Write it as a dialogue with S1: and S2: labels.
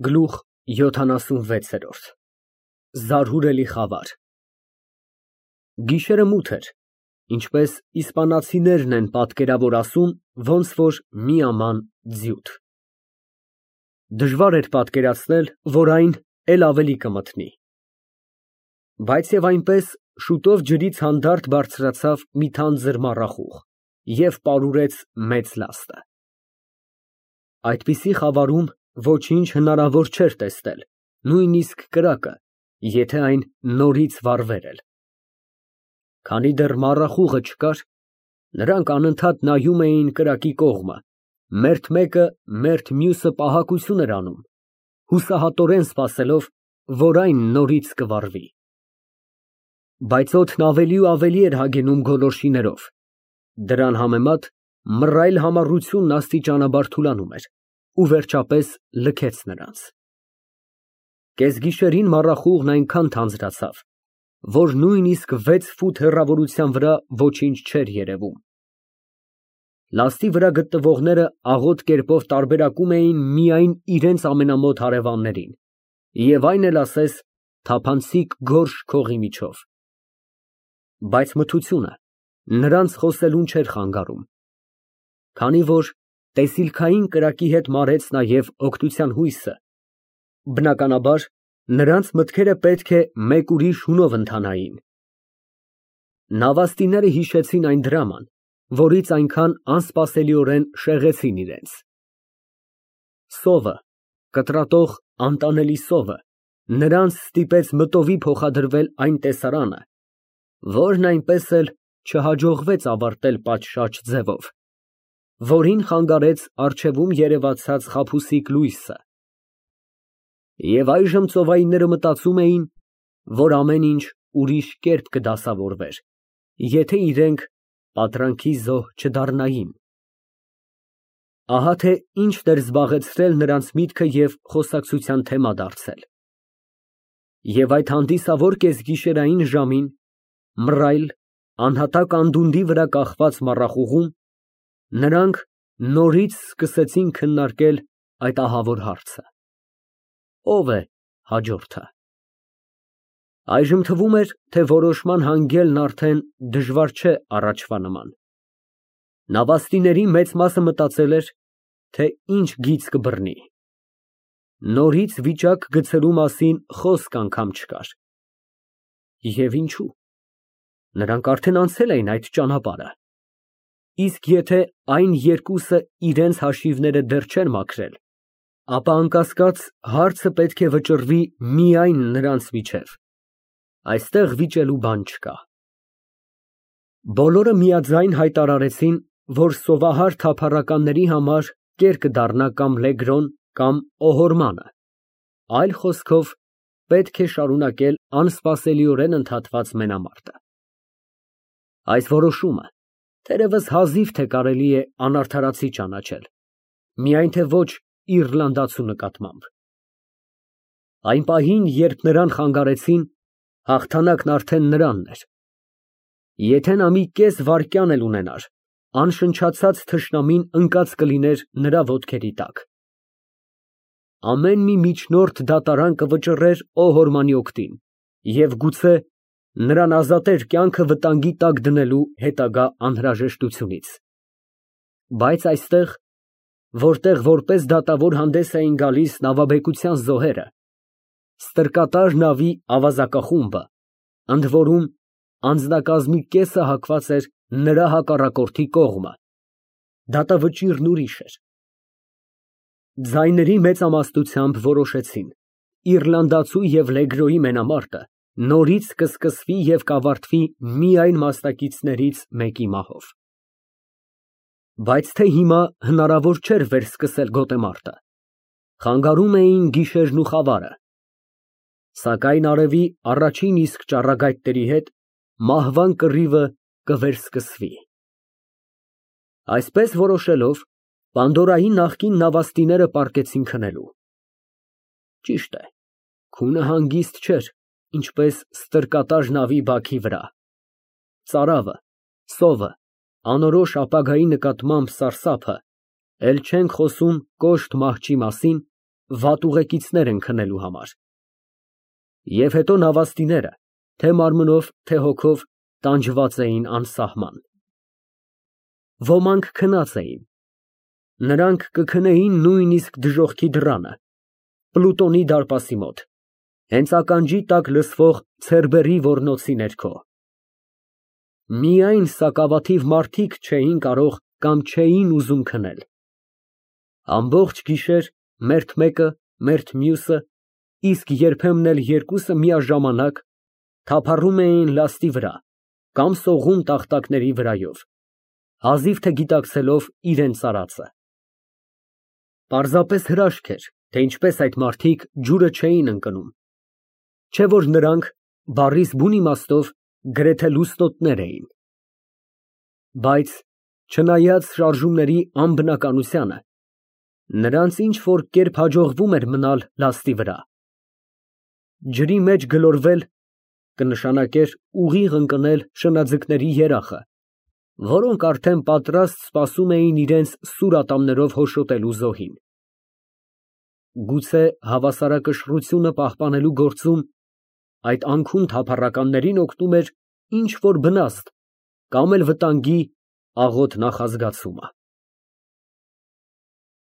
S1: Գլուխ 76 Զարհուրելի խավար Գիշերը մութ էր, ինչպես իսպանացիներն են պատկերավոր ասում, ոնց որ մի աման ձիուտ։ Դժվար էր պատկերացնել, որ այն էլ ավելի կմթնի։ Բայց և այնպես շուտով ջրից հանդարտ բարձրացավ մի թանձր մառախուղ և պարուրեց մեծ լաստը։ Այդպիսի խավարում ոչինչ հնարավոր չէր տեսնել, նույնիսկ կրակը, եթե այն նորից վառվեր էլ։ Քանի դեռ մառախուղը չկար, նրանք անընդհատ նայում էին կրակի կողմը, մերթ մեկը մերթ մյուսը պահակություն էր անում, հուսահատորեն սպասելով, որ այն նորից կվառվի։ Բայց օդն ավելի ու ավելի էր հագենում գոլորշիներով, դրան համեմատ մռայլ համառությունն աստիճանաբար թուլանում էր ու վերջապես լքեց նրանց։ Կեսգիշերին մառախուղն այնքան թանձրացավ, որ նույնիսկ 6 ֆուտ հեռավորության վրա ոչինչ չէր երևում։ Լաստի վրա գտնվողները աղոտ կերպով տարբերակում էին միայն իրենց ամենամոտ հարևաններին և այն էլ ասես թափանցիկ գորշ քողի միջով։ Բայց մթությունը նրանց խոսելուն չէր խանգարում, քանի որ տեսիլքային կրակի հետ մարեց նաև օգնության հույսը, բնականաբար, նրանց մտքերը պետք է մեկ ուրիշ հունով ընթանային։ Նավաստիները հիշեցին այն դրաման, որից այնքան անսպասելիորեն շեղեցին իրենց։ Սովը, կտրատող անտանելի սովը, նրանց ստիպեց մտովի փոխադրվել այն տեսարանը, որն այնպես էլ չհաջողվեց ավարտել պատշաճ ձևով, որին խանգարեց առջևում երևացած խաբուսիկ լույսը։ Եվ այժմ ծովայինները մտածում էին, որ ամեն ինչ ուրիշ կերպ կդասավորվեր, եթե իրենք պատրանքի զոհ չդառնային։ Ահա թե ինչն էր զբաղեցրել նրանց միտքը և խոսակցության թեմա դարձել։ Եվ այդ հանդիսավոր կեսգիշերային ժամին, մռայլ, անհատակ անդունդի վրա կախված մառախուղում, նրանք նորից սկսեցին քննարկել այդ ահավոր հարցը. ո՞վ է հաջորդը։ Այժմ թվում էր, թե որոշման հանգելն արդեն դժվար չէ առաջվա նման։ Նավաստիների մեծ մասը մտածել էր, թե ինչ գիծ կբռնի։ Նորից վիճակ գցելու մասին խոսք անգամ չկար։ Եվ ինչու։ Նրանք արդեն անցել էին այդ ճանապարհը։ Իսկ եթե այն երկուսը իրենց հաշիվները դեռ չեն մաքրել, ապա անկասկած հարցը պետք է վճռվի միայն նրանց միջև։ Այստեղ վիճելու բան չկա։ Բոլորը միաձայն հայտարարեցին, որ սովահար թափառականների համար կեր կդառնա կամ լեգրոն, կամ օհորմանը, այլ խոսքով, պետք է շարունակել անսպասելիորեն ընդհատված մենամարտը։ Այս որոշումը թերևս հազիվ թե կարելի է անարդարացի ճանաչել, միայն թե ոչ իռլանդացու նկատմամբ։ Այն պահին, երբ նրան խանգարեցին, հաղթանակն արդեն նրանն էր։ Եթե նա մի կես վայրկյան էլ ունենար, անշնչացած թշնամին ընկած կլիներ նրա ոտքերի տակ։ Ամեն մի միջնորդ դատարան կվճռեր օհորմանի օգտին և գուցե նրան ազատեր կյանքը վտանգի տակ դնելու հետագա անհրաժեշտությունից։ Բայց այստեղ, որտեղ որպես դատավոր հանդես էին գալիս նավաբեկության զոհերը, ստրկատար նավի ավազակախումբը, ընդ որում անձնակազմի կեսը հակված էր նրա հակառակորդի կողմը, դատավճիռն ուրիշ էր։ Ձայների մեծամասնությամբ որոշեցին. իռլանդացու և լեգրոյի մենամարտը նորից կսկսվի և կավարտվի միայն մասնակիցներից մեկի մահով։ Բայց թե հիմա հնարավոր չէր վերսկսել գոտեմարտը, խանգարում էին գիշերն ու խավարը, սակայն արևի առաջին իսկ ճառագայթների հետ մահվան կռիվը կվերսկսվի։ Այսպես որոշելով, Պանդորայի նախկին նավաստիները պառկեցին քնելու։ Ճիշտ է, քունը հանգիստ չէր, ինչպես ստրկատար նավի բաքի վրա։ Ծարավը, սովը, անորոշ ապագայի նկատմամբ սարսափը, էլ չենք խոսում կոշտ մահճի մասին, վատ ուղեկիցներ են քնելու համար։ Եվ հետո նավաստիները, թե մարմնով, թե հոգով, տանջված էին անսահման։ Ոմանք քնած էին։ Նրանք կքնեին նույնիսկ դժոխքի դռանը, Պլուտոնի դարպասի մոտ, հենց ականջի տակ լսվող ցերբերի ոռնոցի ներքո։ Միայն սակավաթիվ մարդիկ չէին կարող կամ չէին ուզում քնել։ Ամբողջ գիշեր մերթ մեկը, մերթ մյուսը, իսկ երբեմն էլ երկուսը միաժամանակ թափառում էին լաստի վրա կամ սողում տախտակների վրայով, հազիվ թե գիտակցելով իրենց արածը։ Պարզապես հրաշք էր, թե ինչպես այդ մարդիկ ջուրը չէին ընկնում, չէ որ նրանք բառիս բուն իմաստով գրեթե լուսնոտներ էին։ Բայց չնայած շարժումների անբնականությանը, նրանց ինչ որ կերպ հաջողվում էր մնալ լաստի վրա։ Ջրի մեջ գլորվել կնշանակեր ուղիղ ընկնել շնաձկների երախը, որոնք արդեն պատրաստ սպասում էին իրենց սուր ատամներով հոշոտելու զոհին։ Գուցե հավասարակշռությունը պահպանելու գործում այդ անքուն թափառականներին օգնում էր ինչ որ բնաստ կամ էլ վտանգի աղոտ նախազգացումը։